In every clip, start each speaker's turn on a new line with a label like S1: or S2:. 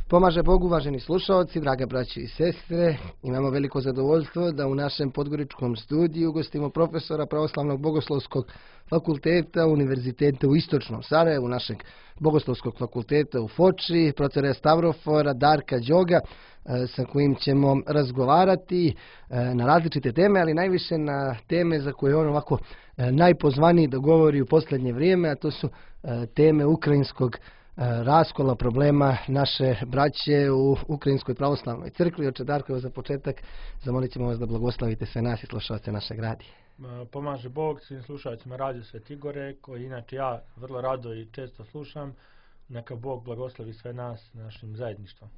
S1: Pomaže Bog, uvaženi slušalci, draga braće i sestre, imamo veliko zadovoljstvo da u našem podgoričkom studiju gostimo profesora Pravoslavnog bogoslovskog fakulteta Univerziteta u Istočnom Sarajevu, našeg bogoslovskog fakulteta u Foči, profesora Stavrofora Darka Đoga, sa kojim ćemo razgovarati na različite teme, ali najviše na teme za koje on ovako najpozvaniji da govori u posljednje vrijeme, a to su teme ukrajinskog raskola, problema naše braće u Ukrajinskoj pravoslavnoj crkvi. Oče Darko, evo za početak zamolit ćemo vas da blagoslavite sve nas i slušalce našeg radija.
S2: Pomaže Bog svim slušalcima Radio Sveti Igore, koji inače ja vrlo rado i često slušam. Neka Bog blagoslovi sve nas našim zajedništvom.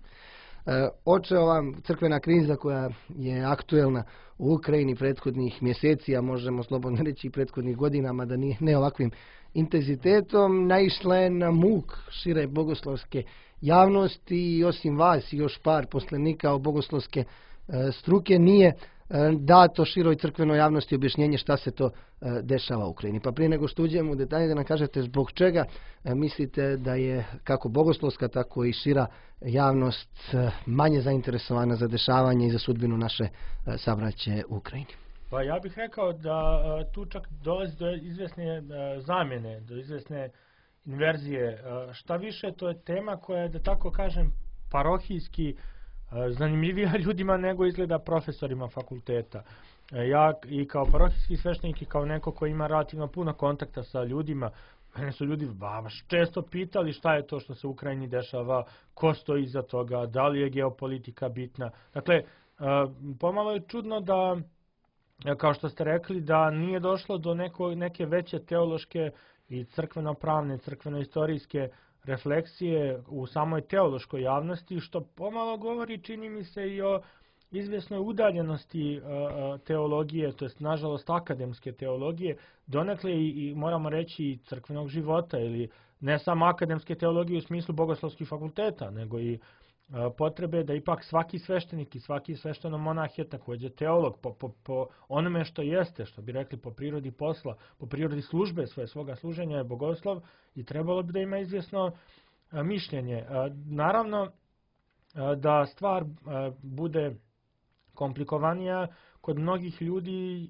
S1: Oče, ova crkvena kriza koja je aktuelna u Ukrajini prethodnih mjeseci, a možemo slobodno reći i prethodnih godinama, da ne ovakvim intenzitetom, naišla je na muk šire bogoslovske javnosti i osim vas i još par poslanika o bogoslovske struke nije dato široj crkvenoj javnosti objašnjenje šta se to dešava u Ukrajini. Pa prije nego što uđemo u detalje, da nam kažete zbog čega mislite da je kako bogoslovska, tako i šira javnost manje zainteresovana za dešavanje i za sudbinu naše sabraće u Ukrajini.
S2: Pa ja bih rekao da tu čak dolazi do izvjesne zamjene, do izvjesne inverzije. Šta više, to je tema koja je, da tako kažem, parohijski zanimljivija ljudima nego izgleda profesorima fakulteta. Ja i kao parohijski sveštenik i kao neko koji ima relativno puno kontakta sa ljudima, mene su ljudi baš često pitali šta je to što se u Ukrajini dešava, ko stoji iza toga, da li je geopolitika bitna. Dakle, pomalo je čudno da, kao što ste rekli, da nije došlo do neke veće teološke i crkveno-pravne, crkveno-istorijske refleksije u samoj teološkoj javnosti, što pomalo govori, čini mi se, i o izvjesnoj udaljenosti teologije, to jest nažalost akademske teologije, donekle i moramo reći i crkvenog života, ili ne samo akademske teologije u smislu bogoslovskih fakulteta, nego i potrebe da ipak svaki sveštenik i svaki svešteno monah je također teolog po onome što jeste, što bi rekli po prirodi posla, po prirodi službe svoga služenja je bogoslov i trebalo bi da ima izvjesno mišljenje. Naravno da stvar bude komplikovanija kod mnogih ljudi,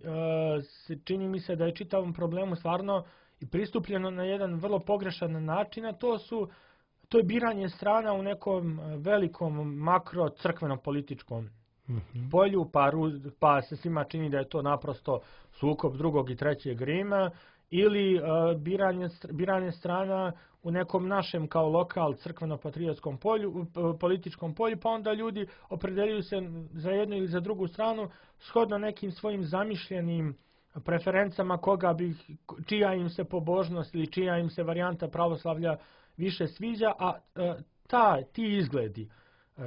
S2: čini mi se da je čitavom problemu stvarno i pristupljeno na jedan vrlo pogrešan način, a to je biranje strana u nekom velikom makro crkveno-političkom polju, pa se svima čini da je to naprosto sukob drugog i trećeg Rima, ili biranje strana u nekom našem kao lokal crkveno-patriotskom političkom polju, pa onda ljudi opredeljuju se za jednu ili za drugu stranu shodno nekim svojim zamišljenim preferencama čija im se pobožnost ili čija im se varijanta pravoslavlja više sviđa, a ti izgledi,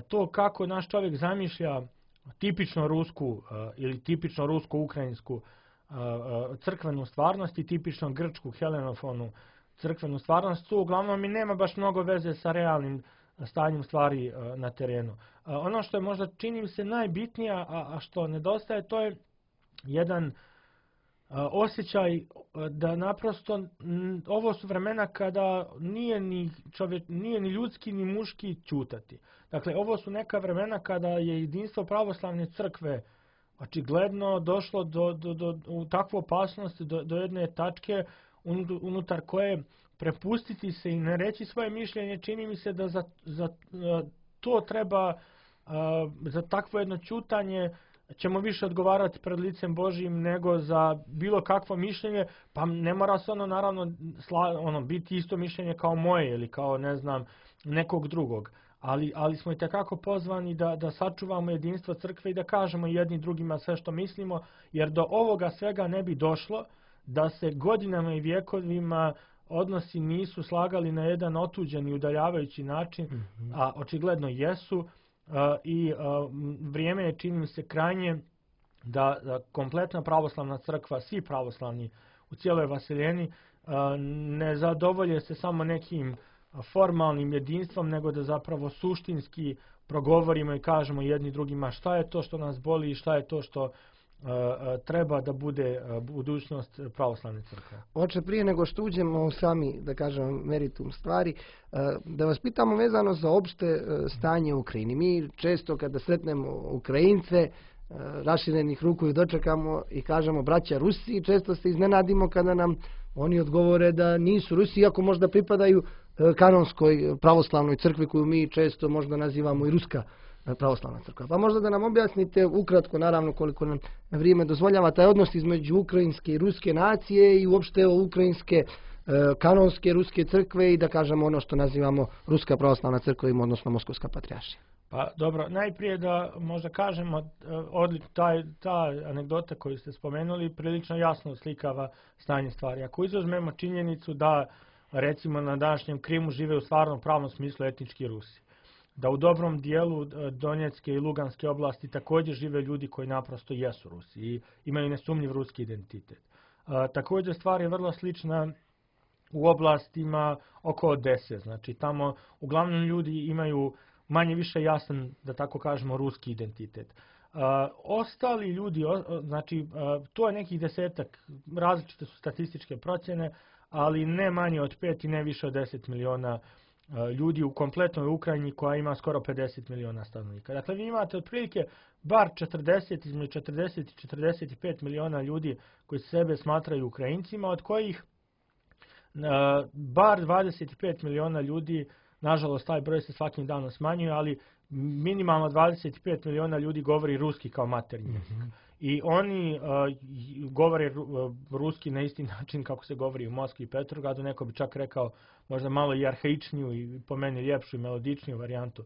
S2: to kako naš čovjek zamišlja tipično rusku ili tipično rusko-ukrajinsku crkvenu stvarnost i tipično grčku helenofonu crkvenu stvarnost, to uglavnom i nema baš mnogo veze sa realnim stanjem stvari na terenu. Ono što je možda, čini mi se, najbitnije, a što nedostaje, to je jedan osjećaj da naprosto ovo su vremena kada nije ni ljudski ni muški ćutati. Dakle, ovo su neka vremena kada je jedinstvo pravoslavne crkve očigledno došlo u takvu opasnost do jedne tačke unutar koje prepustiti se i ne reći svoje mišljenje, čini mi se da za to treba, za takvo jedno ćutanje ćemo više odgovarati pred licem Božijim nego za bilo kakvo mišljenje, pa ne mora se naravno biti isto mišljenje kao moje ili kao nekog drugog. Ali smo i tekako pozvani da sačuvamo jedinstvo crkve i da kažemo jedni drugima sve što mislimo, jer do ovoga svega ne bi došlo da se godinama i vjekovima odnosi nisu slagali na jedan otuđen i udaljavajući način, a očigledno jesu. I vrijeme je, čini mi se, krajnje da kompletna pravoslavna crkva, svi pravoslavni u cijeloj vaseljeni, ne zadovolje se samo nekim formalnim jedinstvom, nego da zapravo suštinski progovorimo i kažemo jedni drugima šta je to što nas boli i šta je to što treba da bude budućnost pravoslavne crkve?
S1: Oče, prije nego što uđemo u sami, da kažem, meritum stvari, da vas pitamo vezano za opšte stanje u Ukrajini. Mi često kada sretnemo Ukrajince, raširenih ruku i dočekamo i kažemo braća Rusi, često se iznenadimo kada nam oni odgovore da nisu Rusi, iako možda pripadaju kanonskoj pravoslavnoj crkvi koju mi često možda nazivamo i Ruska pravoslavna crkva. Pa možda da nam objasnite ukratko, naravno koliko nam vrijeme dozvoljava, taj odnos između ukrajinske i ruske nacije i uopšte ukrajinske kanonske ruske crkve i da kažemo ono što nazivamo Ruska pravoslavna crkva, odnosno Moskovska patrijaršija.
S2: Pa dobro, najprije da možda kažemo, ta anegdota koju ste spomenuli prilično jasno slikava stanje stvari. Ako izuzmemo činjenicu da recimo na današnjem Krimu žive u stvarnom pravnom smislu etnički Rusi, da u dobrom dijelu Donjecke i Luganske oblasti također žive ljudi koji naprosto jesu Rusi i imaju nesumnjiv ruski identitet. Također stvar je vrlo slična u oblastima oko Odese, znači tamo uglavnom ljudi imaju manje više jasan, da tako kažemo, ruski identitet. Ostali ljudi, znači to je nekih 10, različite su statističke procjene, ali ne manje od 5 i ne više od 10 miliona ljudi u kompletnoj Ukrajini koja ima skoro 50 miliona stanovnika. Dakle, vi imate otprilike bar 40, između 40 i 45 miliona ljudi koji sebe smatraju Ukrajincima, od kojih bar 25 miliona ljudi, nažalost taj broj se svakim danom smanjuje, ali minimalno 25 miliona ljudi govori ruski kao maternji jezik. I oni govore ruski na isti način kako se govori u Moskvi i Petrogradu, neko bi čak rekao možda malo i arhaičniju i po meni ljepšu i melodičniju varijantu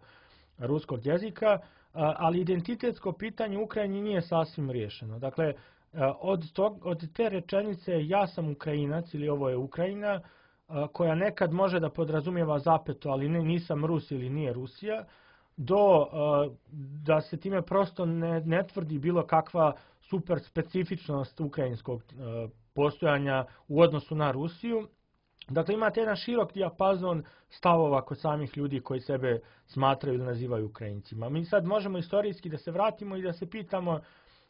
S2: ruskog jezika, ali identitetsko pitanje u Ukrajini nije sasvim riješeno. Dakle, od te rečenice ja sam Ukrajinac ili ovo je Ukrajina, koja nekad može da podrazumijeva zapeto, ali nisam Rus ili nije Rusija, do da se time prosto ne tvrdi bilo kakva super specifičnost ukrajinskog postojanja u odnosu na Rusiju. Dakle, imate jedan širok dijapazon stavova kod samih ljudi koji sebe smatraju ili nazivaju Ukrajincima. Mi sad možemo istorijski da se vratimo i da se pitamo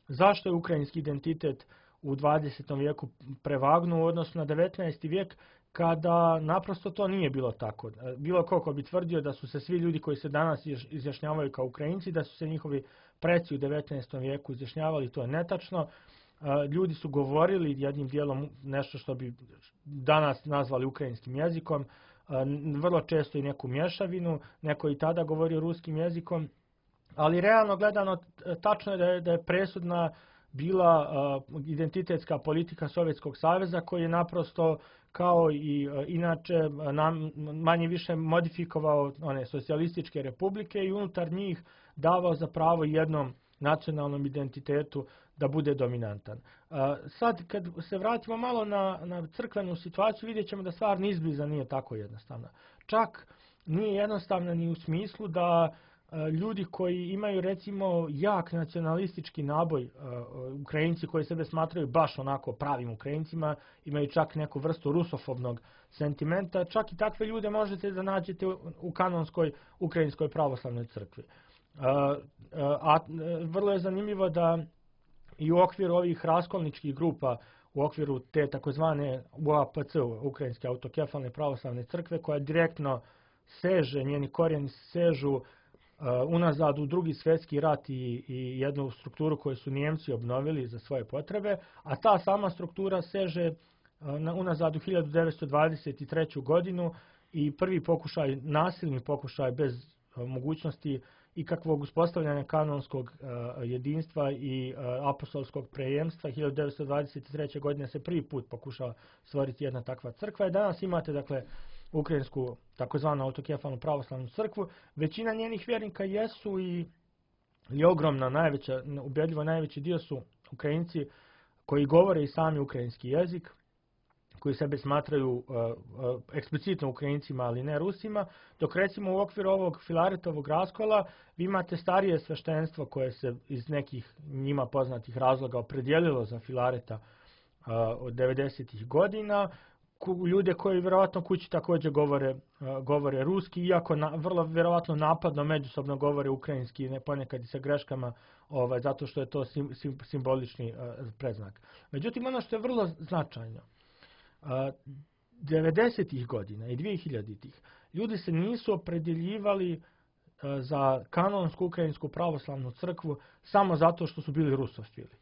S2: zašto je ukrajinski identitet u 20. vijeku prevagnuo u odnosu na 19. vijek, kada naprosto to nije bilo tako. Bilo ko bi tvrdio da su se svi ljudi koji se danas izjašnjavaju kao Ukrajinci, da su se njihovi preci u 19. vijeku izjašnjavali, to je netačno. Ljudi su govorili jednim dijelom nešto što bi danas nazvali ukrajinskim jezikom, vrlo često i neku mješavinu, neko i tada govorio ruskim jezikom, ali realno gledano tačno je da je presudna bila identitetska politika Sovjetskog saveza koji je naprosto kao i inače manje više modifikovao one socijalističke republike i unutar njih davao za pravo jednom nacionalnom identitetu da bude dominantan. Sad kad se vratimo malo na crkvenu situaciju, vidjet ćemo da stvar ni izbliza nije tako jednostavna. Čak nije jednostavna ni u smislu da ljudi koji imaju recimo jak nacionalistički naboj, Ukrajinci koji sebe smatraju baš onako pravim Ukrajincima, imaju čak neku vrstu rusofobnog sentimenta, čak i takve ljude možete da nađete u kanonskoj ukrajinskoj pravoslavnoj crkvi. A vrlo je zanimljivo da i u okviru ovih raskolničkih grupa, u okviru te takozvane UAPC, Ukrajinske autokefalne pravoslavne crkve, koja direktno seže, njeni korijeni sežu unazad u Drugi svjetski rat i jednu strukturu koju su Nijemci obnovili za svoje potrebe, a ta sama struktura seže unazad u 1923. godinu i prvi pokušaj, nasilni pokušaj bez mogućnosti ikakvog uspostavljanja kanonskog jedinstva i apostolskog prejemstva. 1923. godine se prvi put pokušava stvoriti jedna takva crkva i danas imate dakle ukrajinsku takozvanu autokefalnu pravoslavnu crkvu. Većina njenih vjernika jesu i ogromna, najveća, ubedljivo najveći dio su Ukrajinci koji govore i sami ukrajinski jezik, koji sebe smatraju eksplicitno Ukrajincima, ali ne Rusima, dok recimo u okviru ovog Filaretovog raskola vi imate starije sveštenstvo koje se iz nekih njima poznatih razloga opredijelilo za Filareta od 90. godina, ljude koji vjerovatno kući također govore ruski, iako vrlo vjerovatno napadno međusobno govore ukrajinski, ponekad i sa greškama, zato što je to simbolični predznak. Međutim, ono što je vrlo značajno, 90-ih godina i 2000-ih ljudi se nisu opredjeljivali za kanonsku ukrajinsku pravoslavnu crkvu samo zato što su bili rusofili.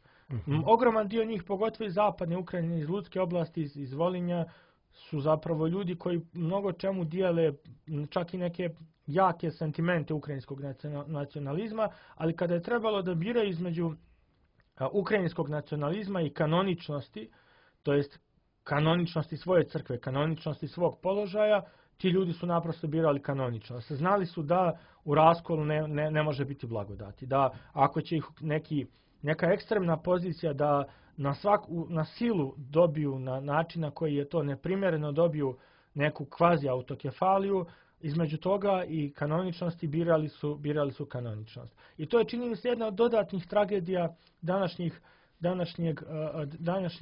S2: Ogroman dio njih, pogotovo iz zapadne Ukrajine, iz Ludske oblasti, iz Volinja, su zapravo ljudi koji mnogo čemu dijele čak i neke jake sentimente ukrajinskog nacionalizma, ali kada je trebalo da biraju između ukrajinskog nacionalizma i kanoničnosti, to jest kanoničnosti svoje crkve, kanoničnosti svog položaja, ti ljudi su naprosto birali kanoničnost. Znali su da u raskolu ne može biti blagodati, da ako će ih neka ekstremna pozicija da na silu dobiju na način na koji je to neprimjereno, dobiju neku kvazi autokefaliju, između toga i kanoničnosti birali su kanoničnost. I to je, čini mi se, jedna od dodatnih tragedija današnjih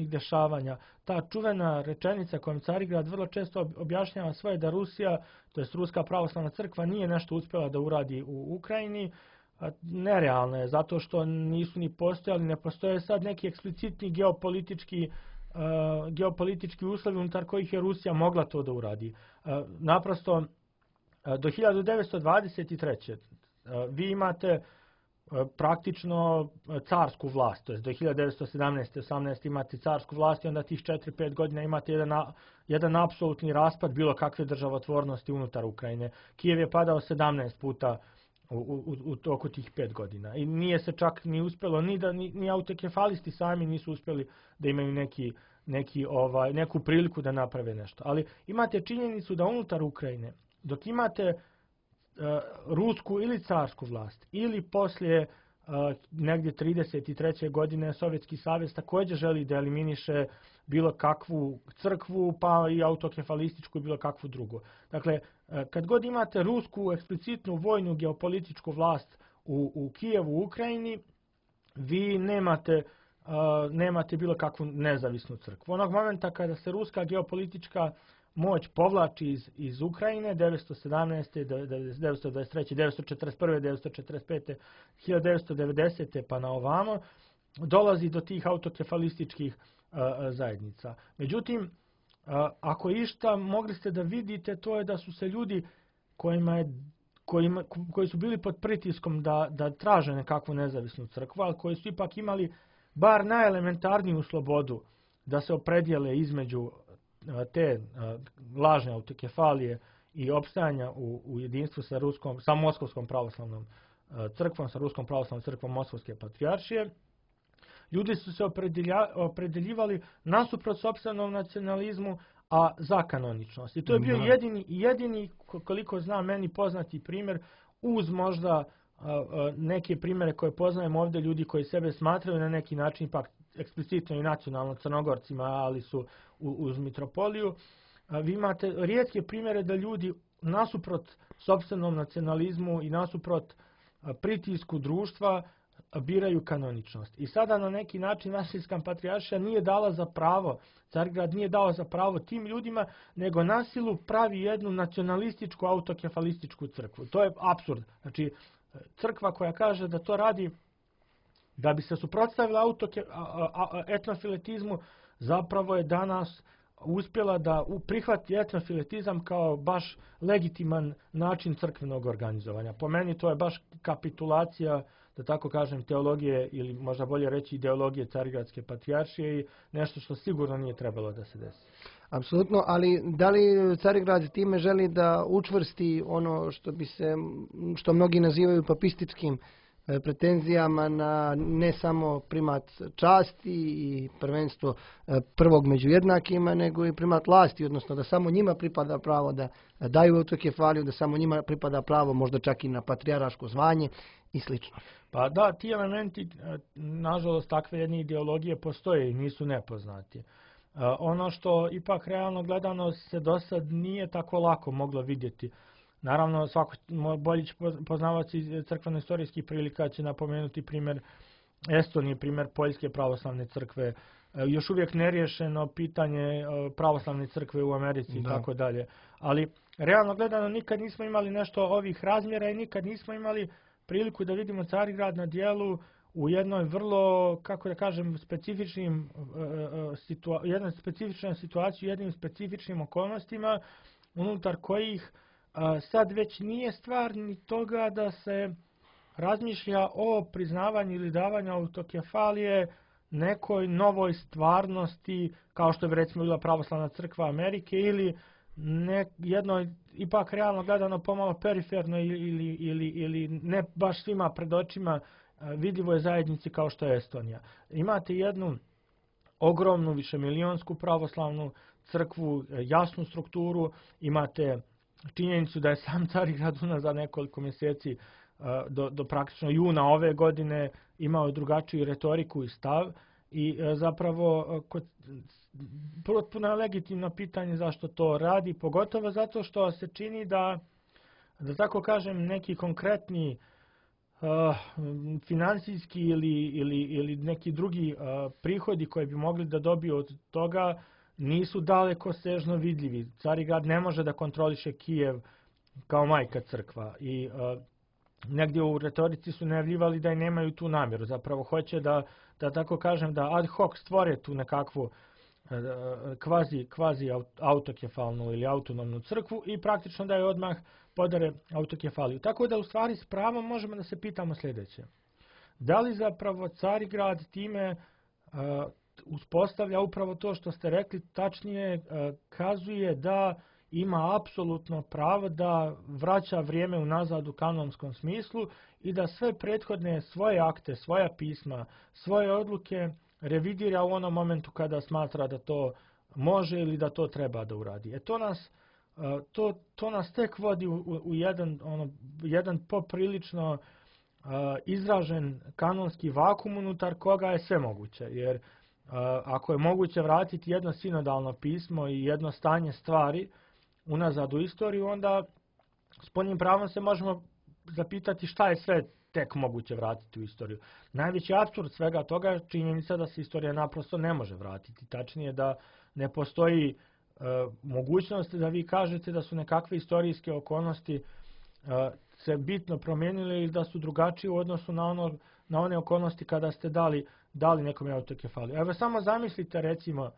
S2: dešavanja. Ta čuvena rečenica kojom Carigrad vrlo često objašnjava svoje da Rusija, to jest Ruska pravoslavna crkva, nije nešto uspjela da uradi u Ukrajini, nerealno je, zato što nisu ni postojali, ne postoje sad neki eksplicitni geopolitički uslovi unutar kojih je Rusija mogla to da uradi. Naprosto, do 1923. Vi imate praktično carsku vlast, to je do 1917. 18. imate carsku vlast i onda tih 4-5 godina imate jedan apsolutni raspad bilo kakve državotvornosti unutar Ukrajine. Kijev je padao 17 puta u toku tih 5 godina. I nije se čak ni uspjelo, ni autokefalisti sami nisu uspjeli da imaju neku priliku da naprave nešto. Ali imate činjenicu da unutar Ukrajine, dok imate rusku ili carsku vlast, ili poslije negdje 33. godine Sovjetski savez također želi da eliminiše bilo kakvu crkvu, pa i autokefalističku i bilo kakvu drugu. Dakle, kad god imate rusku eksplicitnu vojnu geopolitičku vlast u Kijevu, u Ukrajini, vi nemate bilo kakvu nezavisnu crkvu. Onog momenta kada se ruska geopolitička moć povlači iz Ukrajine, 1917. 1923. 1941. 1945. 1990. pa na ovamo, dolazi do tih autokefalističkih zajednica. Međutim, ako išta mogli ste da vidite, to je da su se ljudi koji su bili pod pritiskom da traže nekakvu nezavisnu crkvu, ali koji su ipak imali bar najelementarniju slobodu da se opredijele između te lažne autokefalije i opstajanja u jedinstvu sa Moskovskom pravoslavnom crkvom, sa Ruskom pravoslavnom crkvom Moskovske patrijaršije. Ljudi su se opredeljivali nasuprot sopstvenom nacionalizmu, a za kanoničnost. I to je bio jedini, koliko znam, meni poznati primjer, uz možda neke primjere koje poznajem ovdje, ljudi koji sebe smatraju na neki način ipak eksplicitno i nacionalno Crnogorcima, ali su uz mitropoliju. Vi imate rijetke primjere da ljudi nasuprot sopstvenom nacionalizmu i nasuprot pritisku društva biraju kanoničnost. I sada na neki način Vasilska patrijaršija nije dala za pravo, Carigrad nije dao za pravo tim ljudima, nego na silu pravi jednu nacionalističku autokefalističku crkvu. To je apsurd. Znači, crkva koja kaže da to radi da bi se suprotstavila etnofiletizmu, zapravo je danas uspjela da prihvati etnofiletizam kao baš legitiman način crkvenog organizovanja. Po meni to je baš kapitulacija, da tako kažem, teologije ili možda bolje reći ideologije Carigradske patrijaršije i nešto što sigurno nije trebalo da se desi.
S1: Apsolutno, ali da li Carigrad time želi da učvrsti ono što mnogi nazivaju papističkim pretenzijama na ne samo primat časti i prvenstvo prvog među jednakima, nego i primat vlasti, odnosno da samo njima pripada pravo da daju autokefaliju, da samo njima pripada pravo možda čak i na patrijarhaško zvanje i slično.
S2: Pa da, ti elementi, nažalost, takve jedne ideologije postoje i nisu nepoznati. Ono što ipak realno gledano se do sad nije tako lako moglo vidjeti. Naravno, svako bolji poznavaoci crkveno-istorijskih prilika će napomenuti primjer Estonije, primjer Poljske pravoslavne crkve, još uvijek neriješeno pitanje pravoslavne crkve u Americi i tako dalje. Ali realno gledano nikad nismo imali nešto ovih razmjera i nikad nismo imali priliku da vidimo Carigrad na dijelu u jednoj vrlo, kako da kažem, jednoj specifičnoj situaciji, jednim specifičnim okolnostima unutar kojih sad već nije stvar ni toga da se razmišlja o priznavanju ili davanju autokefalije nekoj novoj stvarnosti, kao što bi recimo bila pravoslavna crkva Amerike, ili jednoj, ipak realno gledano pomalo periferno ili ne baš svima pred očima vidljivoj zajednici kao što je Estonija. Imate jednu ogromnu višemilijonsku pravoslavnu crkvu, jasnu strukturu, imate činjenicu da je sam Carigrad za nekoliko mjeseci do praktično juna ove godine imao drugačiju retoriku i stav i zapravo potpuno je legitimno pitanje zašto to radi, pogotovo zato što se čini da tako kažem, neki konkretni financijski ili neki drugi prihodi koji bi mogli da dobiju od toga nisu daleko sežno vidljivi. Carigrad ne može da kontroliše Kijev kao majka crkva i negdje u retorici su najavljivali da i nemaju tu namjeru. Zapravo hoće da tako kažem, da ad hoc stvore tu nekakvu kvazi autokefalnu ili autonomnu crkvu i praktično da je odmah podare autokefaliju. Tako da u stvari s pravom možemo da se pitamo sljedeće. Da li zapravo Carigrad time uspostavlja upravo to što ste rekli, tačnije kazuje da ima apsolutno pravo da vraća vrijeme unazad u kanonskom smislu i da sve prethodne svoje akte, svoja pisma, svoje odluke revidira u onom momentu kada smatra da to može ili da to treba da uradi. To nas tek vodi u jedan poprilično izražen kanonski vakum unutar koga je sve moguće. Jer ako je moguće vratiti jedno sinodalno pismo i jedno stanje stvari unazad u istoriju, onda s punim pravom se možemo zapitati šta je sve tek moguće vratiti u istoriju. Najveći apsurd svega toga je činjenica da se istorija naprosto ne može vratiti. Tačnije da ne postoji mogućnost da vi kažete da su nekakve istorijske okolnosti se bitno promijenile ili da su drugačije u odnosu na one okolnosti kada ste dali nekom autokefaliju. Evo samo zamislite recimo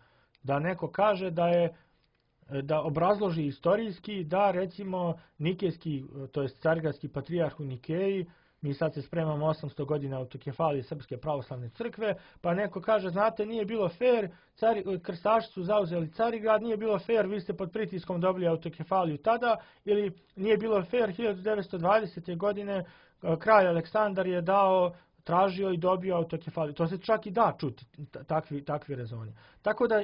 S2: da neko kaže da obrazloži istorijski da recimo nikejski, to jest carigradski patrijarh u Nikeji, mi sad se spremamo 800 godina autokefalije Srpske pravoslavne crkve, pa neko kaže, znate, nije bilo fair, krstaši su zauzeli Carigrad, nije bilo fair, vi ste pod pritiskom dobili autokefaliju tada, ili nije bilo fair, 1920. godine kralj Aleksandar je tražio i dobio autokefaliju. To se čak i da čuti, takvi rezoni. Tako da,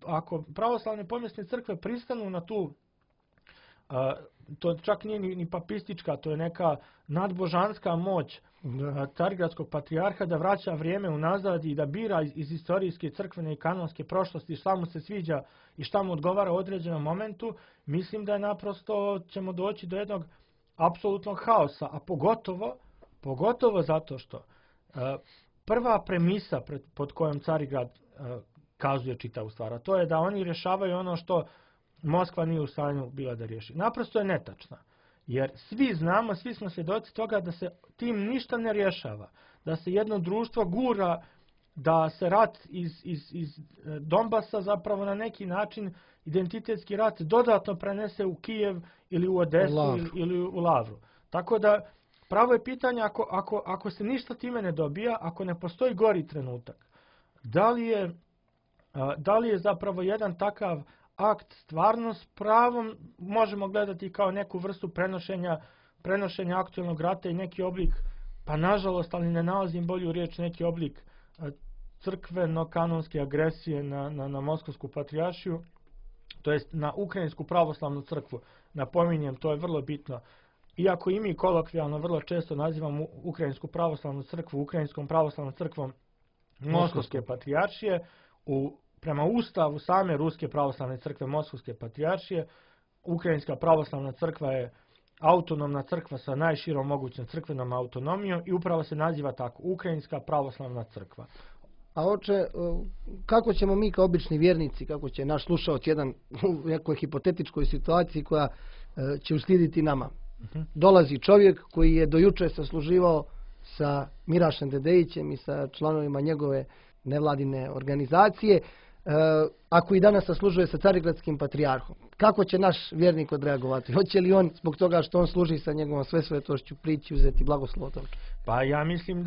S2: ako pravoslavne povijesne crkve pristanu na tu, to čak nije ni papistička, to je neka nadbožanska moć carigradskog patrijarha da vraća vrijeme unazad i da bira iz istorijske, crkvene i kanonske prošlosti šta mu se sviđa i šta mu odgovara u određenom momentu, mislim da je naprosto ćemo doći do jednog apsolutnog haosa, a pogotovo zato što prva premisa pod kojom Carigrad kazuje čitavu stvar, a to je da oni rješavaju ono što Moskva nije u stanju bila da riješi. Naprosto je netačna. Jer svi znamo, svi smo svjedoci toga da se tim ništa ne rješava. Da se jedno društvo gura, da se rat iz Donbasa zapravo na neki način, identitetski rat, dodatno prenese u Kijev ili u Odesu ili u Lavru. Tako da pravo je pitanje ako se ništa time ne dobija, ako ne postoji gori trenutak, da li je zapravo jedan takav akt stvarno s pravom možemo gledati kao neku vrstu prenošenja aktualnog rata i neki oblik, pa nažalost, ali ne nalazim bolju riječ, neki oblik crkveno-kanonske agresije na Moskovsku patrijaršiju, to jest na Ukrajinsku pravoslavnu crkvu. Napominjem, to je vrlo bitno. Iako i mi kolokvijalno vrlo često nazivamo Ukrajinsku pravoslavnu crkvu Ukrajinskom pravoslavnom crkvom Moskovske patrijaršije, prema ustavu same Ruske pravoslavne crkve Moskovske patrijaršije, Ukrajinska pravoslavna crkva je autonomna crkva sa najširom mogućom crkvenom autonomijom i upravo se naziva tako, Ukrajinska pravoslavna crkva.
S1: A oče, kako ćemo mi kao obični vjernici, kako će naš slušalac jedan u nekoj hipotetičkoj situaciji koja će uslijediti nama. Dolazi čovjek koji je do juče sasluživao sa Mirašem Dedejićem i sa članovima njegove nevladine organizacije, ako i danas saslužuje sa Carigradskim patrijarhom. Kako će naš vjernik odreagovati? Hoće li on, zbog toga što on služi sa njegovom svesvetošću, prići uzeti blagoslov od toga?
S2: Pa ja mislim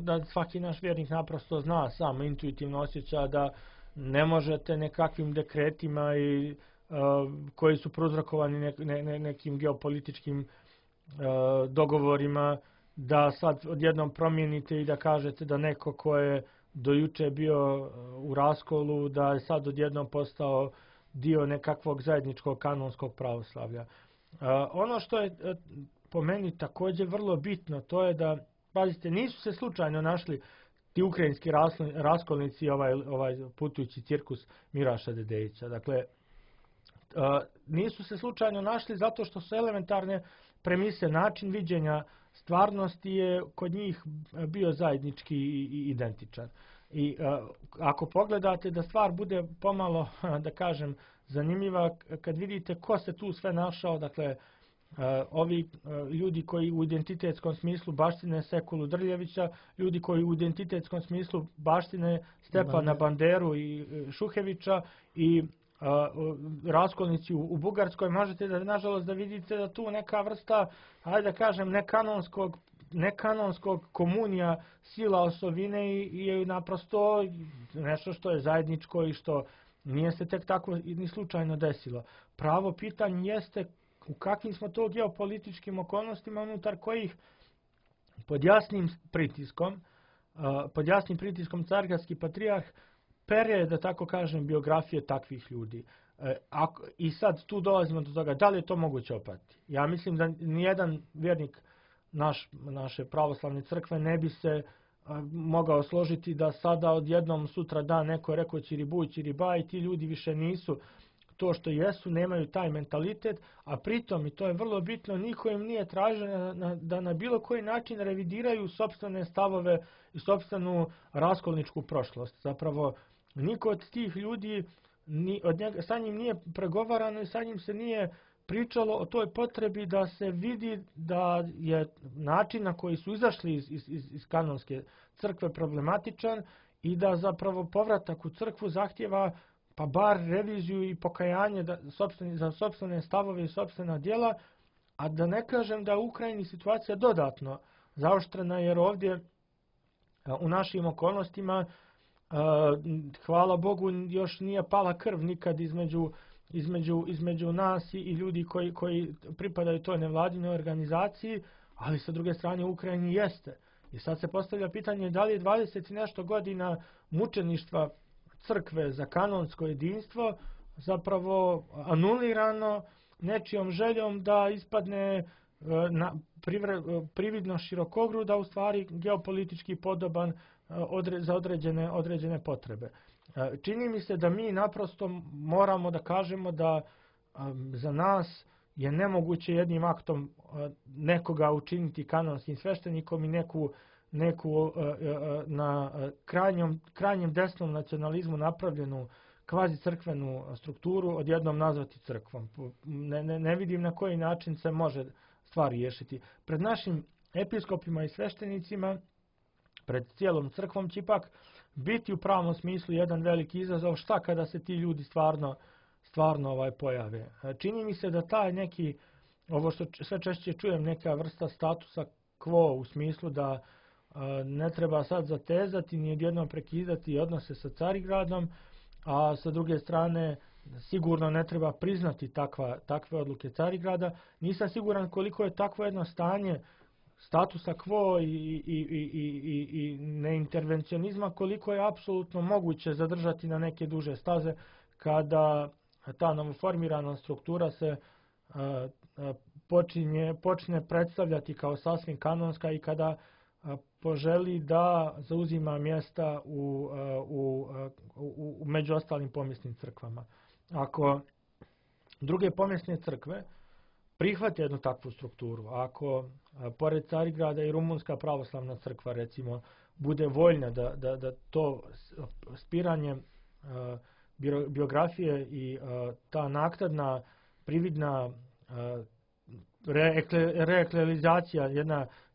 S2: da svaki naš vjernik naprosto zna, samo intuitivno osjeća da ne možete nekakvim dekretima koji su prouzrokovani nekim geopolitičkim dogovorima, da sad odjednom promijenite i da kažete da neko ko je do juče bio u raskolu, da je sad odjednom postao dio nekakvog zajedničkog kanonskog pravoslavlja. Ono što je po meni također vrlo bitno, to je da, pazite, nisu se slučajno našli ti ukrajinski raskolnici, ovaj putujući cirkus Miraša Dedejića. Dakle, nisu se slučajno našli zato što su elementarne premise, način viđenja stvarnosti je kod njih bio zajednički i identičan. I ako pogledate da stvar bude pomalo, da kažem, zanimljiva, kad vidite ko se tu sve našao, dakle, ovi ljudi koji u identitetskom smislu baštine Sekulu Drljevića, ljudi koji u identitetskom smislu baštine Stepana Banderu i Šuhevića i raskolnici u Bugarskoj, možete da, nažalost, da vidite da tu neka vrsta, hajde da kažem, nekanonskog komunija sila osovine je naprosto nešto što je zajedničko i što nije se tek tako ni slučajno desilo. Pravo pitanje jeste u kakvim smo to geopolitičkim okolnostima unutar kojih pod jasnim pritiskom Carigradski patrijarh pere, da tako kažem, biografije takvih ljudi. I sad tu dolazimo do toga, da li je to moguće opratiti? Ja mislim da nijedan vjernik naše pravoslavne crkve ne bi se mogao složiti da sada odjednom sutra dan neko je rekao ćiribuj, ćiriba i ti ljudi više nisu to što jesu, nemaju taj mentalitet, a pritom, i to je vrlo bitno, niko im nije tražio da na bilo koji način revidiraju sopstvene stavove i sopstvenu raskolničku prošlost. Zapravo, niko od tih ljudi, sa njim nije pregovarano i sa njim se nije pričalo o toj potrebi da se vidi da je način na koji su izašli iz kanonske crkve problematičan i da zapravo povratak u crkvu zahtjeva pa bar reviziju i pokajanje za sopstvene stavove i sopstvena djela, a da ne kažem da u Ukrajini situacija dodatno zaoštrena, jer ovdje u našim okolnostima, hvala Bogu, još nije pala krv nikad između nas i ljudi koji pripadaju toj nevladinoj organizaciji, ali sa druge strane u Ukrajini jeste. I sad se postavlja pitanje da li je 20 i nešto godina mučeništva crkve za kanonsko jedinstvo zapravo anulirano nečijom željom da ispadne prividno širokogruda, u stvari geopolitički podoban za određene potrebe. Čini mi se da mi naprosto moramo da kažemo da za nas je nemoguće jednim aktom nekoga učiniti kanonskim sveštenikom i neku na krajnjem desnom nacionalizmu napravljenu kvazi crkvenu strukturu odjednom nazvati crkvom. Ne vidim na koji način se može stvar riješiti. Pred našim episkopima i sveštenicima, pred cijelom crkvom će ipak biti u pravom smislu jedan veliki izazov šta kada se ti ljudi stvarno pojave. Čini mi se da taj neki, ovo što sve češće čujem, neka vrsta statusa quo u smislu da ne treba sad zatezati ni odjednom prekidati odnose sa Carigradom, a sa druge strane sigurno ne treba priznati takve odluke Carigrada. Nisam siguran koliko je takvo jedno stanje statusa quo i neintervencionizma, koliko je apsolutno moguće zadržati na neke duže staze kada ta novoformirana struktura se počne predstavljati kao sasvim kanonska i kada poželi da zauzima mjesta među ostalim pomjesnim crkvama. Ako druge pomjesne crkve prihvate jednu takvu strukturu. Ako pored Carigrada i Rumunska pravoslavna crkva recimo bude voljna da to spiranje biografije i ta naknadna prividna reeklerizacija,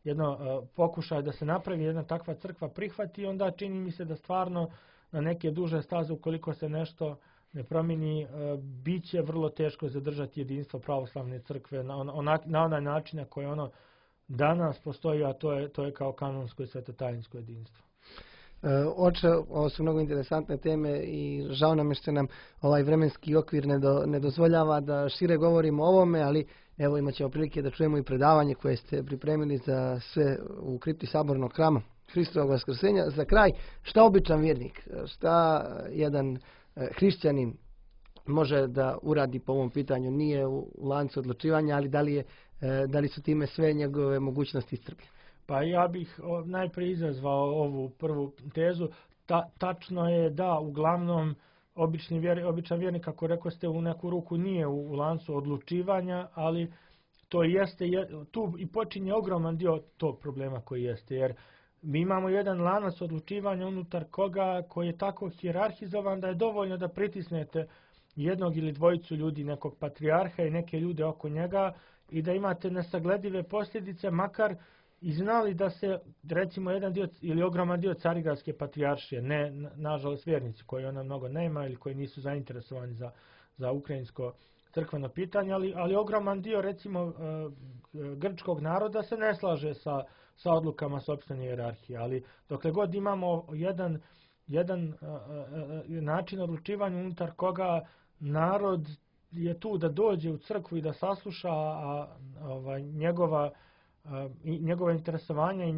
S2: jedno pokušaj da se napravi jedna takva crkva prihvati, onda čini mi se da stvarno na neke duže staze, ukoliko se nešto ne promijeni, bit će vrlo teško zadržati jedinstvo pravoslavne crkve na onaj način na koji ono danas postoji, a to je kao kanonsko i svetotajinsko jedinstvo.
S1: Oče, ovo su mnogo interesantne teme i žao nam je što nam ovaj vremenski okvir ne dozvoljava da šire govorimo o ovome, ali evo imat ćemo prilike da čujemo i predavanje koje ste pripremili za sve u kripti Sabornog hrama Hristovog vaskrsenja. Za kraj, šta običan vjernik, šta jedan hrišćanin može da uradi po ovom pitanju? Nije u lancu odlučivanja, ali da li su time sve njegove mogućnosti iscrpljene?
S2: Pa ja bih najprije izazvao ovu prvu tezu. Tačno je da uglavnom običan vjernik, kako rekao ste, u neku ruku nije u lancu odlučivanja, ali to jeste, tu i počinje ogroman dio tog problema koji jeste, jer mi imamo jedan lanac odlučivanja unutar koji je tako hijerarhizovan da je dovoljno da pritisnete jednog ili dvojicu ljudi, nekog patrijarha i neke ljude oko njega i da imate nesagledive posljedice, makar i znali da se, recimo, jedan dio ili ogroman dio Carigradske patrijaršije, ne nažalost vjernici koji ona mnogo nema ili koji nisu zainteresovani za ukrajinsko crkveno pitanje, ali ogroman dio, recimo, grčkog naroda se ne slaže sa odlukama sopstvene hijerarhije, ali dokle god imamo jedan način odlučivanja unutar koga narod je tu da dođe u crkvu i da sasluša, a njegova interesovanja i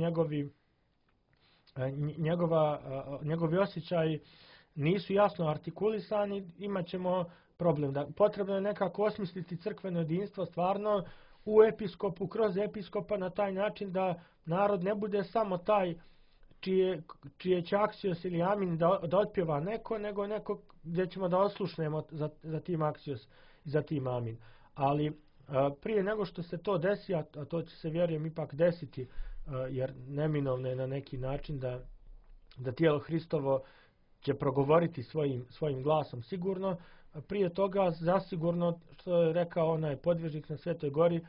S2: njegovi osjećaji nisu jasno artikulisani, imat ćemo problem. Potrebno je nekako osmisliti crkveno jedinstvo stvarno u episkopu, kroz episkopa, na taj način da narod ne bude samo taj čije će aksios ili amin da otpjeva neko, nego neko gdje ćemo da oslušnemo za tim aksios i za tim amin. Ali prije nego što se to desi, a to će se, vjerujem, ipak desiti, jer neminovno je na neki način da tijelo Hristovo će progovoriti svojim glasom sigurno, prije toga zasigurno, što je rekao onaj podvižnik na Svetoj gori,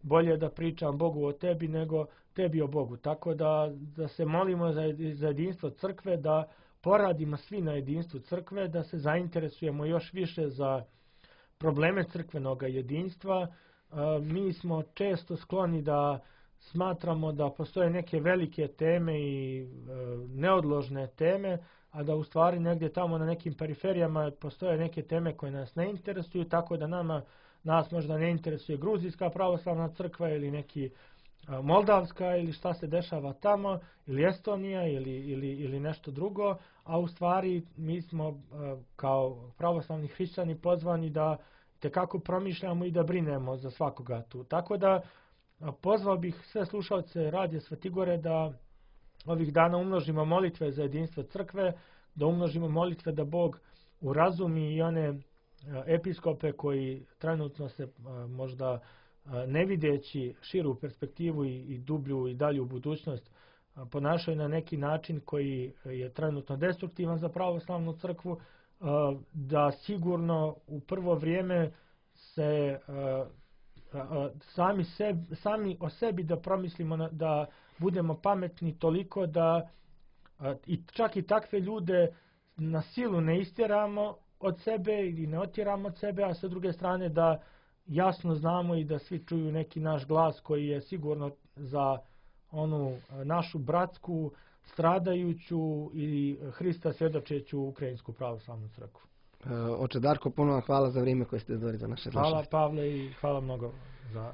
S2: bolje da pričam Bogu o tebi nego tebi o Bogu. Tako da se molimo za jedinstvo crkve, da poradimo svi na jedinstvu crkve, da se zainteresujemo još više za probleme crkvenog jedinstva. Mi smo često skloni da smatramo da postoje neke velike teme i neodložne teme, a da u stvari negdje tamo na nekim periferijama postoje neke teme koje nas ne interesuju, tako da nas možda ne interesuje Gruzijska pravoslavna crkva ili neki Moldavska ili šta se dešava tamo, ili Estonija ili nešto drugo, a u stvari mi smo kao pravoslavni hrišćani pozvani da tekako promišljamo i da brinemo za svakoga tu. Tako da pozvao bih sve slušalce Radija Svetigore da ovih dana umnožimo molitve za jedinstvo crkve, da umnožimo molitve da Bog urazumi i one episkope koji trenutno se možda ne videći širu perspektivu i dublju i dalju budućnost ponašaju na neki način koji je trenutno destruktivan za pravoslavnu crkvu, da sigurno u prvo vrijeme se sami o sebi da promislimo, da budemo pametni toliko da čak i takve ljude na silu ne istjeramo od sebe ili ne otjeramo od sebe, a sa druge strane da jasno znamo i da svi čuju neki naš glas koji je sigurno za onu našu bratsku, stradajuću i Hrista svjedočeću ukrajinsku pravoslavnu crkvu.
S1: Oče Darko, puno vam hvala za vrijeme koje ste izdvojili za naše slušanje.
S2: Hvala Pavle i hvala mnogo za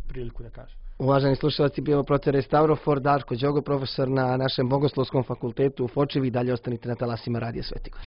S2: priliku da kažem.
S1: Uvaženi slušalci, bio protere Stavrofor, Darko Đogo, profesor na našem Bogoslovskom fakultetu u Fočevi. Dalje ostanite na talasima Radija Svetigor.